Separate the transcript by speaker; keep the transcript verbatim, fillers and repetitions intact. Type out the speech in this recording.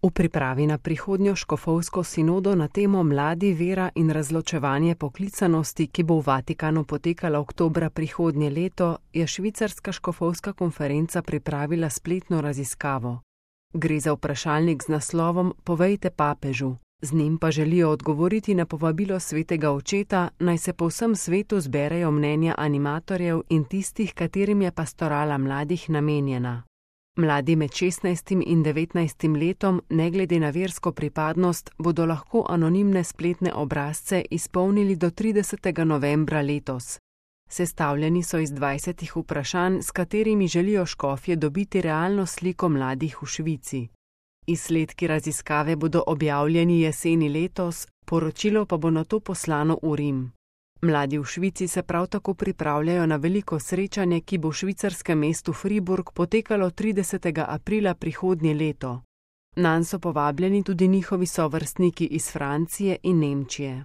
Speaker 1: V pripravi na prihodnjo škofovsko sinodo na temo Mladi, vera in razločevanje poklicanosti, ki bo v Vatikanu potekala oktobra prihodnje leto, je švicarska škofovska konferenca pripravila spletno raziskavo. Gre za vprašalnik z naslovom Povejte papežu. Z njim pa želijo odgovoriti na povabilo svetega očeta, naj se po vsem svetu zberejo mnenja animatorjev in tistih, katerim je pastorala mladih namenjena. Mladi med šestnajstim in devetnajstim letom, ne glede na versko pripadnost, bodo lahko anonimne spletne obrazce izpolnili do tridesetega novembra letos. Sestavljeni so iz dvajsetih vprašanj, s katerimi želijo škofje dobiti realno sliko mladih v Švici. Izsledki raziskave bodo objavljeni jeseni letos, poročilo pa bo nato poslano v Rim. Mladi v Švici se prav tako pripravljajo na veliko srečanje, ki bo v švicarskem mestu Friburg potekalo tridesetega aprila prihodnje leto. Nanj so povabljeni tudi njihovi sovrstniki iz Francije in Nemčije.